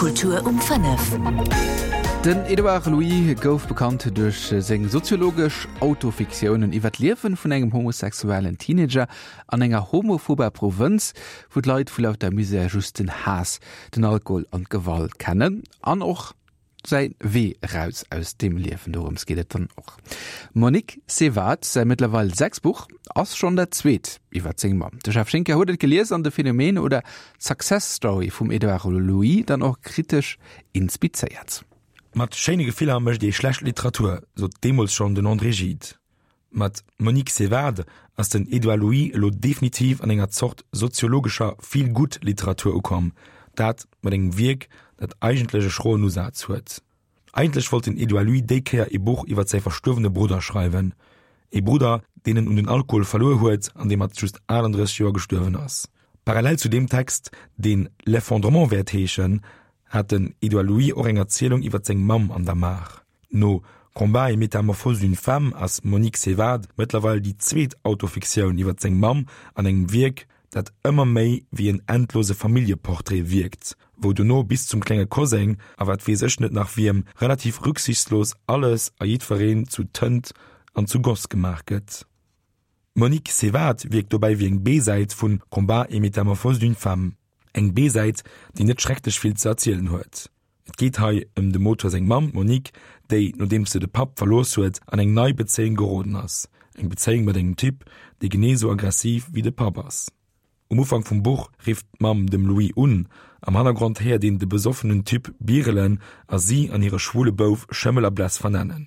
Kultur um 5. Den Edouard Louis gouf bekannt duerch seng soziologesch Autofiktiounen iwwer d'Liewe vun engem homosexuellen Teenager an enger homophober Provënz, wou d'Leit vu lauter Misär just den Haass, den Alkohol an d'Gewalt kennen an och säi Wee eraus aus deem Liewen. Dorëms geet et dann och. Monique Sévade säi mëttlerweil sechst Buch ass schonn dat zweet iwwer seng Mamm. De Jeff Schinker huet et gelies an de Phänomen oder Success Story vum Edouard Louis dann och kritesch inspizéiert. Mat schéine Gefiller mécht ee schlecht Literatur, sot deemools schonn den André Gide. Mat Monique Sévade ass den Edouard Louis elo definitiv an enger Zort soziologescher Feel-Good-Literatur ukomm, dat mat engem Wierk, dat eigentlech e schroen Usaz huet. Eigentlech wollt den Edouard Louis déi Kéier ee Buch iwwer säi verstuerwene Brudder schreiwen, ee Brudder, deen en un den Alkohol verluer huet an dee mat just 38 Joer gestuerwen ass. Parallel zu deem Text, deen L'effondrement wäert heeschen, hat den Edouard Louis och eng Erzielung iwwer seng Mamm an der Maach. No Combat et métamorphose d'une femme ass Monique Sévade mëttlerweil déi zweet Autofiktioun iwwer seng Mamm an engem Wierk, dat ëmmer méi wéi en endlose Familljeportrait wierkt, wou dono bis zum klenge Koseng a wat weess ech net nach wiem relativ rücksichtslos alles a jiddwereen zu Tënt an zu Goss gemaach gëtt. Monique Sévade wierkt dobäi wéi eng B-Säit vu Combat et métamorphose d'une femme. Eng B-Säit, déi net schrecklech vill ze erzielen huet. Et geet hei ëm dem Auteur seng Mamm, d'Monique, déi, nodeems se de Papp verlooss huet, an eng nei Bezéiung geroden ass. Eng Bezéiung mat engem Typ, dee genee sou aggressiv wéi de Papp ass. Um Ufank vum Buch rifft d'Mamm dem Louis un. Am Hannergrond héiert een de besoffenen Typ birelen a si an hire schwule Bouf Schëmmel a Bless vernennen.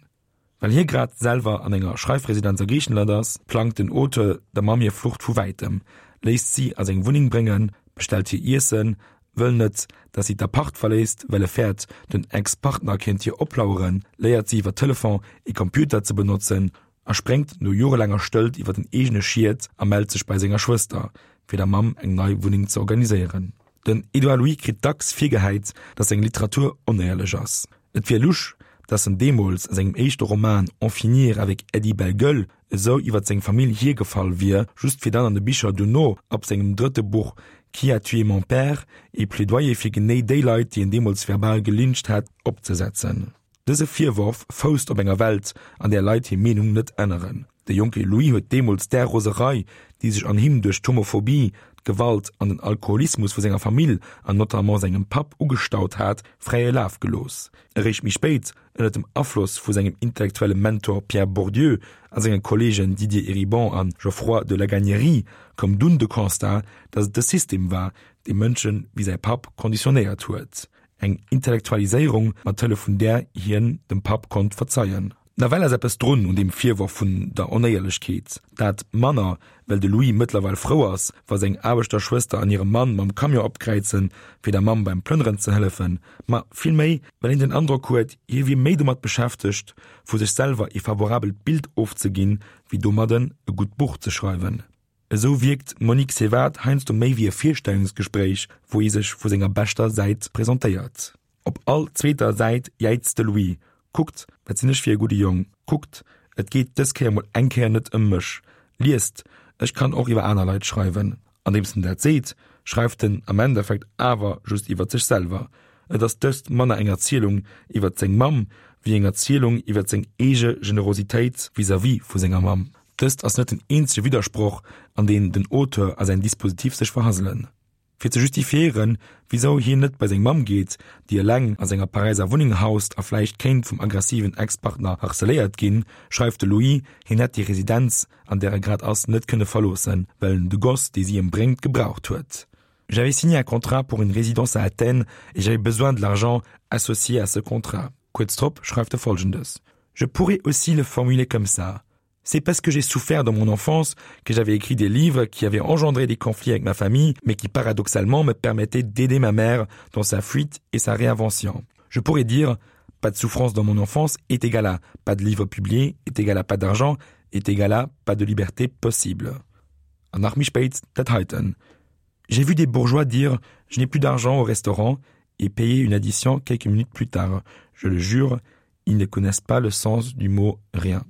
Well hie grad selwer an enger Schreifresidenz a Griichenland ass, plangt den Auteur der Mamm hir Flucht vu wäitem, léisst si a seng Wunneng bréngen, bestellt hir Iessen, wëll net, dass si d'Apart verléisst, well e fäert, den Ex-Partner kéint hir oplaueren, léiert si iwwer Telefon ee Computer ze benotzen a spréngt no jorelaanger Stëllt iwwer den eegene Schiet a mellt sech bei senger Schwëster, fir der Mamm eng nei Wunneng ze organiséieren. Den Edouard Louis kritt dacks virgehäit, datt seng Literatur onéierlech ass. Et wier lusch, datt en deemools a sengem éischte Roman En finir avec Eddy Bellegueule esou iwwer seng Famill hiergefall wier, just fir dann an de Bicher duerno, ab sengem drëtte Buch Qui a tué mon père, ee Plädoyer fir genee déi Leit, déi en deemools verbal gelyncht hätt, opzesetzen. Dëse Virworf fousst op enger Welt, an där Leit hir Meenung net änneren. De jonke Louis huet deemools där Roserei, déi sech an him duerch d'Homophobie, d'Gewalt an den Alkoholismus vu senger Famill an notamment sengem Papp ugestaut hat, fräie Laf gelooss. Eréischt méi spéit, ënner dem Afloss vu sengem intellektuelle Mentor Pierre Bourdieu a senge Kolleegen Didier Eribon a Geoffroy de Laganiérie, koum dunn de Constat, datt et de System war, dee Mënsche wéi säi Papp konditionéiert huet. Eng Intellektualiséierung, mat Hëllef vun där hien dem Papp konnt verzeien. Nawell ass eppes drun un deem Virworf vun der Onéierlechkeet. Dat manner, well de Louis mëttlerweil frou ass, wa seng Aarbechterschwëster an hire Mann mam Camion opkräizen, fir der Mamm beim Plënneren ze hëllefen, ma vill méi, well een den Androck huet, hie wier méi domat beschäftegt, vu sech selwer ee favorabelt Bild ofzeginn, wéi domadden e gutt Buch ze schreiwen. Esou wierkt d'Monique Sévade heiansdo méi wéi e Virstellungsgespréich, wou ee sech vu senger beschter Säit presentéiert. Op all zweeter Säit jäizt de Louis, Kuckt, wat sinn ech fir e gudde Jong! Kuckt, et geet dës Kéier mol eng Kéier net ëm mech! Liest, ech kann och iwwer aner Leit schreiwen! Andeems en dat seet, schreift en am Endeffekt awer just iwwer sech selwer. Et ass dëst manner eng Erzielung iwwer seng Mamm, wéi eng Erzielung iwwer seng eege Generositéit vis-à-vis vu senger Mamm. Dëst ass net den eenzege Widdersproch, an deen den Auteur a säin Dispositif sech verhasselen. Fir ze justifiéieren, wisou hien net bei seng Mamm geet, déi eleng a senger Paräiser Wunneng haust a vläicht kéint vum aggressiven Ex-Partner harceléiert ginn, schreift de Louis, hien hätt déi Residenz, an där e grad ass, net kënne verloossen, well en de Goss, dee si em bréngt, gebraucht huet. J'avais signé un contrat pour une résidence à Athènes et j'avais besoin de l'argent associé à ce contrat. Kuerz drop schreift e Folgendes, Je pourrais aussi le formuler comme ça. C'est parce que j'ai souffert dans mon enfance que j'avais écrit des livres qui avaient engendré des conflits avec ma famille, mais qui paradoxalement me permettaient d'aider ma mère dans sa fuite et sa réinvention. Je pourrais dire pas de souffrance dans mon enfance est égal à pas de livre publié est égal à pas d'argent est égal à pas de liberté possible. An nach méi spéit dat heiten, J'ai vu des bourgeois dire je n'ai plus d'argent au restaurant et payer une addition quelques minutes plus tard. Je le jure, ils ne connaissent pas le sens du mot rien.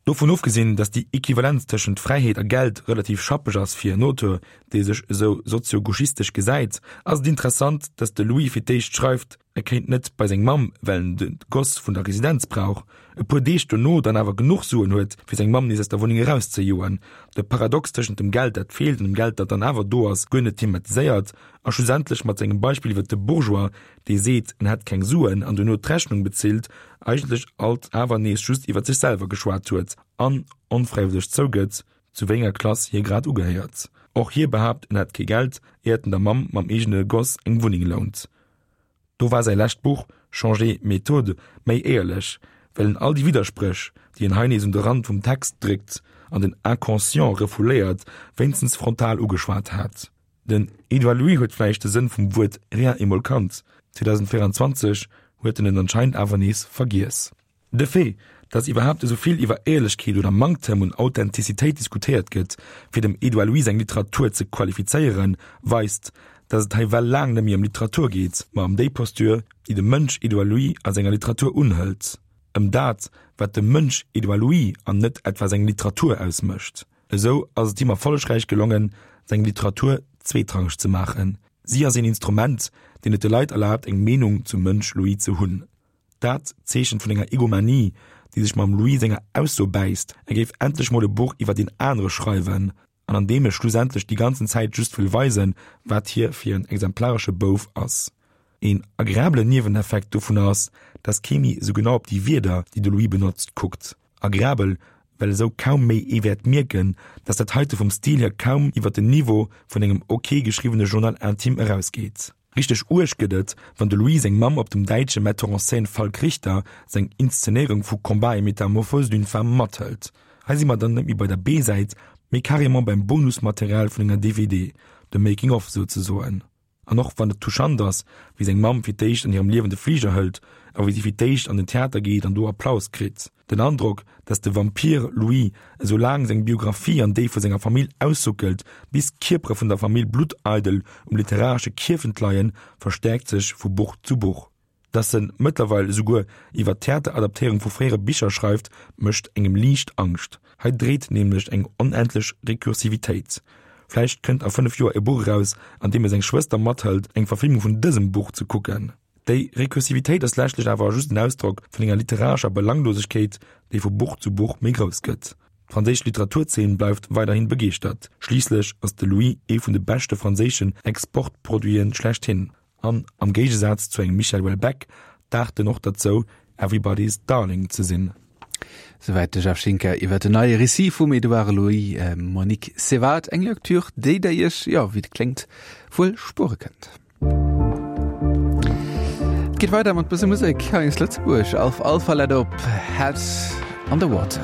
Dovun ofgesinn, datt déi Equivalenz tëschent Fräiheet a Geld relativ schappeg ass fir en Auteur, dee sech esou sozio-gauchistesch gesäit, ass et interessant, datt de Louis fir d'éischt schreift. e kéint net bei seng Mamm, well en de Goss vun der Residenz brauch, e puer Deeg dono dann awer genuch Suen huet, fir seng Mamm nees aus der Wunneng erauszejoen, de Paradox tëschent dem Geld, dat feelt, an dem Geld, dat dann awer do ass, guer net thematiséiert a schlussendlech mat sengem Beispill iwwer de Bourgeois, dee seet, en hätt keng Suen an dono d'Rechnung bezilt, eigentlech alt awer nees just iwwer sech selwer geschwat huet an onfräiwëlleg zougëtt, zu wéi enger Klass hie grad ugehéiert. Och hie behaapt, en hätt kee Geld, éiert en der Mamm mam eegene Goss eng Wunneng lount. Do war säi lescht Buch Changer méthode méi éierlech, well en all déi Widderspréch, déi en hei nees un de Rand vum Text dréckt an den Inconscient refouléiert, wéinstens frontal ugeschwat hat. Den Edouard Louis huet vläicht de Sënn vum Wuert rien emol kannt, 2024 huet en en anscheinend awer nees vergiess. De Fait, datt iwwerhaapt esou vill iwwer Éierlechkeet oder Manktem un Authentizitéit diskutéiert gëtt, fir dem Edouard Louis seng Literatur ze qualifizéieren, weist, datt et hei well laang net méi ëm Literatur geet, ma ëm déi Posture, déi de Mënsch Edouard Louis a senger Literatur unhëlt, ëm dat, wat de Mënsch Edouard Louis an net etwa seng Literatur ausmécht. Esou ass et him erfollegräich gelongen, seng Literatur zweetrangeg ze maachen. Si ass een Instrument, deen et de Leit erlaabt, eng Meenung zum Mënsch Louis ze hunn. Dat Zeechen vun enger Egomanie, déi sech mam Louis senger Ausso bäisst, e géif endlech mol e Buch iwwer deen anere schreiwen, an an deem e schlussendlech déi ganzen Zäit just wëll weisen, wat hie fir en exemplaresche Bouf ass. Een agreabelen Nieweneffekt dovunner ass, dass kee méi esou genau op déi Wierder, déi de Louis benotzt, kuckt. Agreabel, well esou kaum méi ee wäert mierken, dass dat heite vum Stil hier kaum iwwer den Niveau vun engem ok geschriwwene Journal intime erausgeet. Richteg uerg gëtt et, wann de Louis seng Mamm op dem däitsche Metteur en scène Falk Richter seng Inszenéierung vu Combat et métamorphose d'une femme mathëlt. Hei si mer dann net méi bei der B-Säit, mee carrément beim Bonusmaterial vun enger DVD, dem Making of souzesoen. An och wann et touchant ass, wéi seng Mamm fir d'éischt an hirem Liewen de Fliger hëlt a wéi si fir d'éischt an den Theater geet an do Applaus kritt, Den Androck, dass de Vampir Louis esou laang seng Biographie an déi vu senger Famill aussuckelt, bis d'Kierpere vun der Famill blutteidel um literaresche Kierfent leien, verstäerkt sech vu Buch zu Buch. Dass en mëttlerweil esouguer iwwer d'Theateradaptéierung vu fréiere Bicher schreift, mécht engem liicht Angscht. Hei dreet nämlech eng onendlech Rekursivitéit. Vläicht kënnt a 5 Joer e Buch eraus, an deem e seng Schwëster mathëlt, eng Verfilmung vun dësem Buch ze kucken. Déi Rekursivitéit ass leschtlech awer just en Ausdrock vun enger literarescher Belanglosegkeet, déi vu Buch zu Buch méi grouss gëtt. D'franséisch Literaturzeen bleift weiderhin begeeschtert, schliisslech ass de Louis ee vun de beschte franséischen Exportproduiten schlechthin an, am Géigesaz zu engem Michel Houellebecq, daacht en och derzou, everybody's darling ze sinn. Souwäit de Jeff Schinker iwwer den neie Récit vum Edouard Louis, Monique Sévard, eng Lecture, déi der Iech, jo, wéi et kléngt, wuel spuere kënnt. Et geet weider mat bësse Musek hei aus Lëtzebuerg. Alf Alpha let op Head on the Water.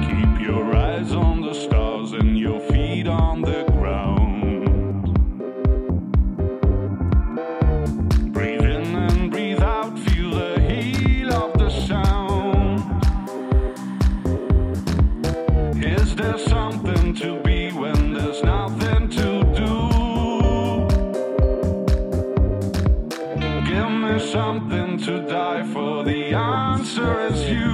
Keep your eyes on the stars and your feet on the ground. Breathe in and breathe out, feel the heat of the sound. Is there something to be when there's nothing to do? Give me something to die for, the answer is you.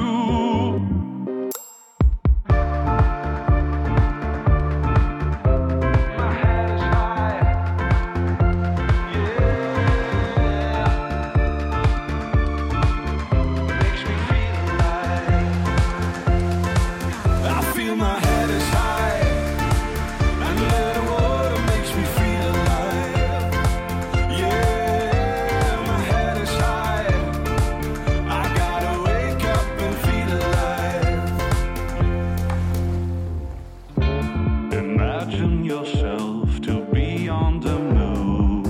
Imagine yourself to be on the moon.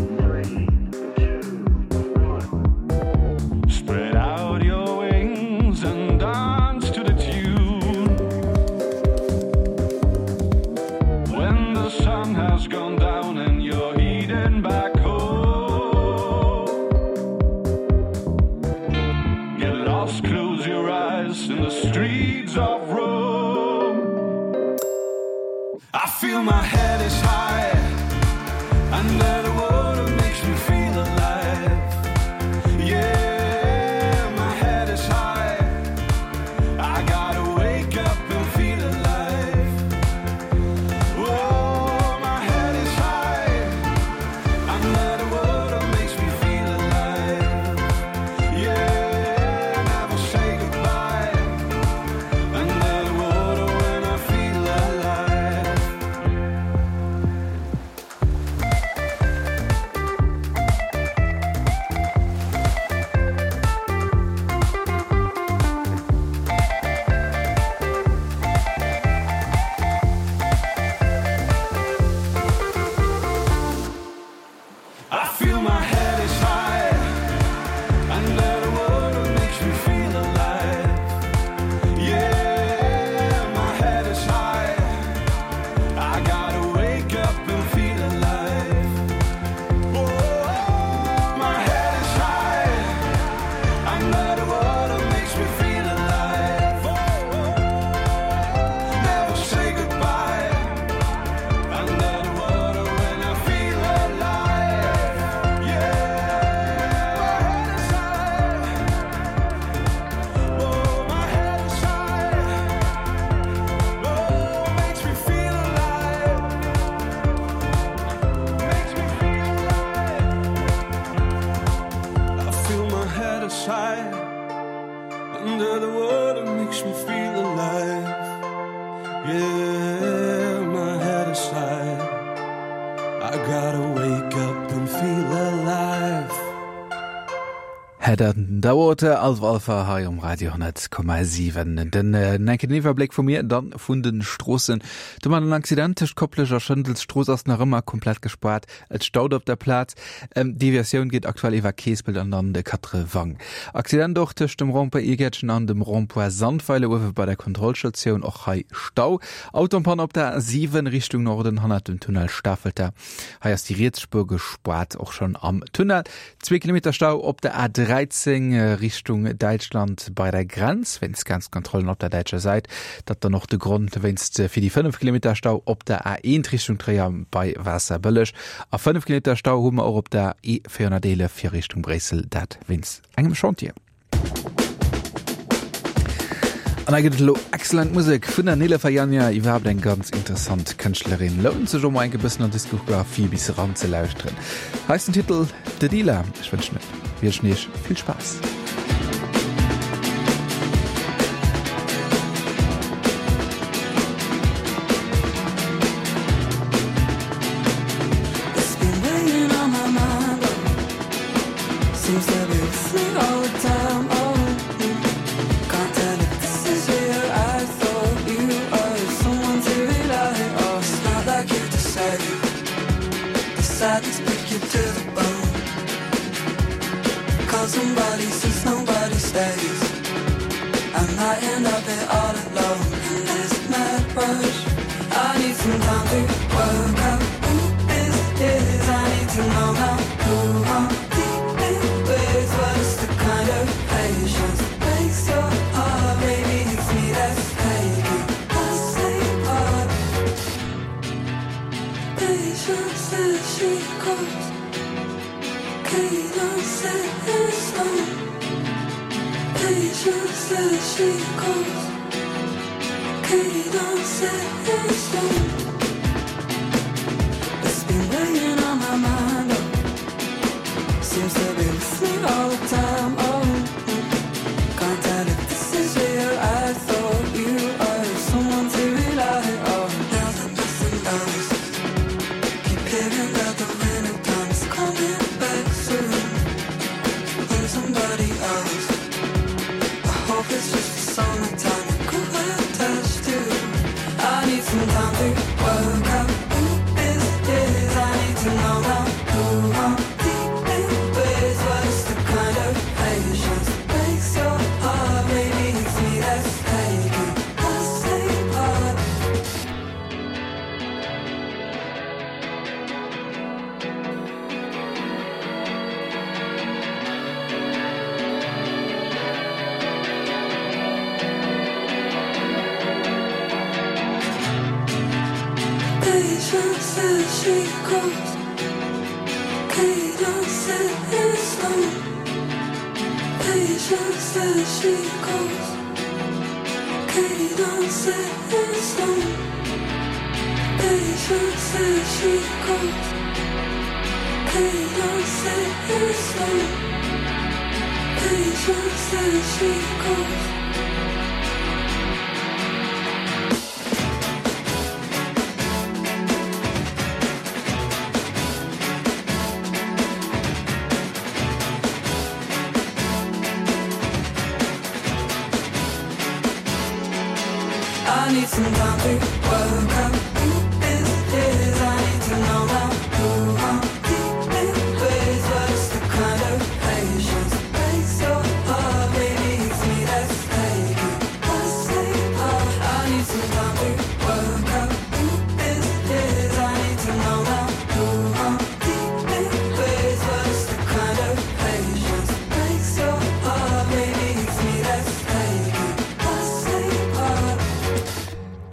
Spread out your wings and dance to the tune. When the sun has gone down and you're heading back home. Get lost, close your eyes in the streets of Rome. I feel my head is high under the water makes me feel alive. Yeah, my head is high. I gotta wake up and feel alive. Yeah, my head is high. I gotta wake up and feel alive. Head Underwater, Alf Alpha hei um Radio 10,7. Den enken Iwwerbléck vu mir dann vun den Stroossen. Do man en Accident tëscht Koplescht a Schëndels. D'Strooss ass nach ëmmer komplett gespaart. Et staut op der Plaz. Deviatioun geet aktuell iwwer Keespelt an dann de Quatrewang. Accident och tëscht dem Rond-point Iergäertchen an dem Rond-point Sandweiler uewe bei der Kontrollstatioun. Och hei Stau. Auto en panne op der A7 Richtung Norden hannert dem Tunnel Stafelter. Hei ass déi riets Spuer gespaart, och schonn am Tunnel. Zwee Kilometer Stau op der A13 Richtung Däitschland bei der Grenz wéinst Grenzkontrollen op der däitscher Säit. Dat dann och de Grond wéinst fir déi 5 Kilometer Stau op der A1 Richtung Tréier bei Waasserbëlleg. A 5 Kilometer Stau hu mer och op der E411 fir Richtung Bréissel, dat wéinst engem Chantier. An da gëtt et elo excellent Musek vun der Nilüfer Yanya, iwwerhaapt eng ganz interessant Kënschtlerin. Lount sech och mol enk e bëssen an d'Diskografie bis eran ze lauschteren. Hei ass den Titel The Dealer. Ech wënschen wënschen iech vill Spaass.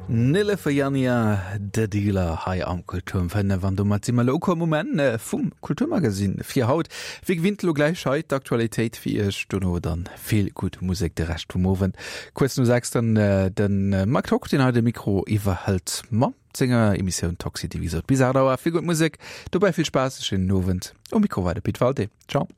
Nilüfer Yanya, The Dealer hei am Kultur um 5 an domat si mer elo ukomm um Enn vum Kulturmagasinn fir haut. Wéi gewinnt elo gläich hei d'Aktualitéit fir Iech, dono dann vill gutt Musek de Rescht vum Owend. Kuerz no 6 dann de Mike Tock, deen hei de Mikro iwwerhëlt mat senger Emissioun Tock City. Wéi gesot bis 8 Auer vill gutt Musek, dobäi vill Spaass, e schéinen Owend. Um Mikro war de Pit Walté. Ciao.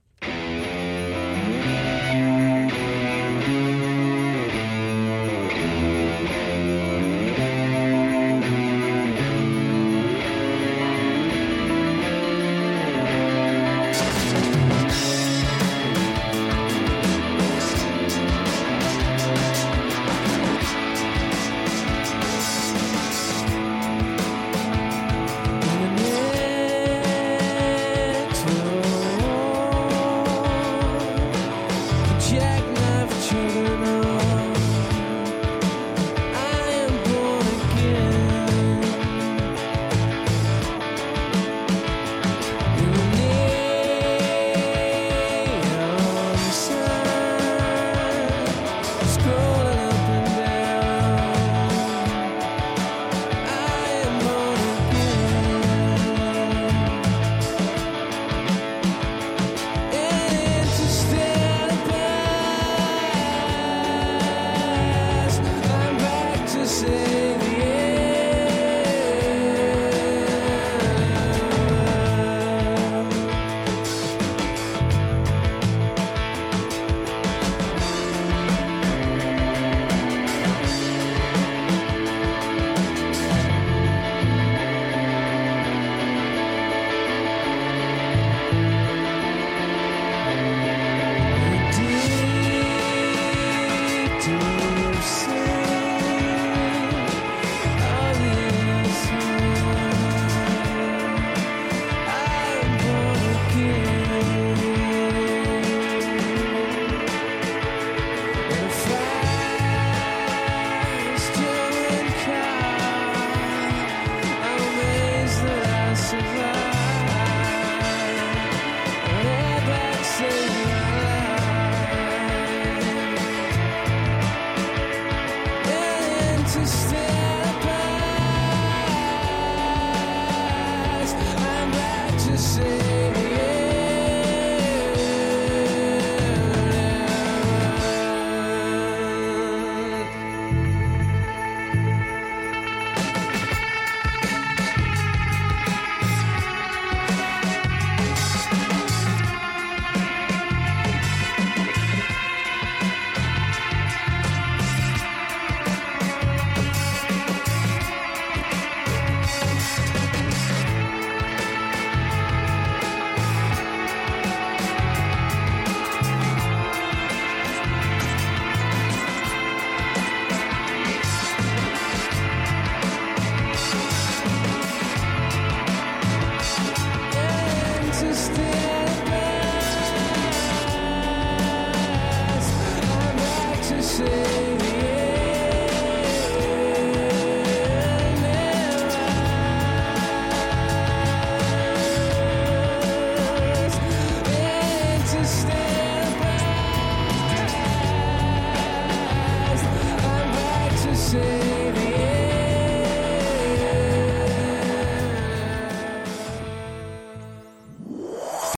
say.